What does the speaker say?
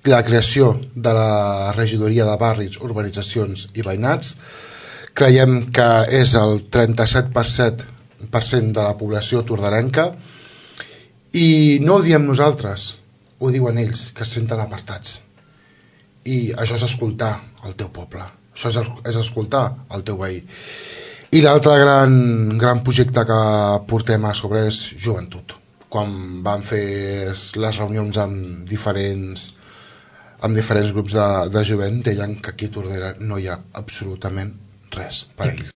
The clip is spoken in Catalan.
la creació de la regidoria de barris, urbanitzacions i veïnats. Creiem que és el 37% de la població tordarenca, i no ho diem nosaltres, ho diuen ells, que es senten apartats. I això és escoltar el teu poble, això és escoltar el teu veí. I l'altre gran projecte que portem a sobre és joventut. Quan vam fer les reunions amb diferents grups de jovent, deien que aquí a Tordera no hi ha absolutament res per a ells.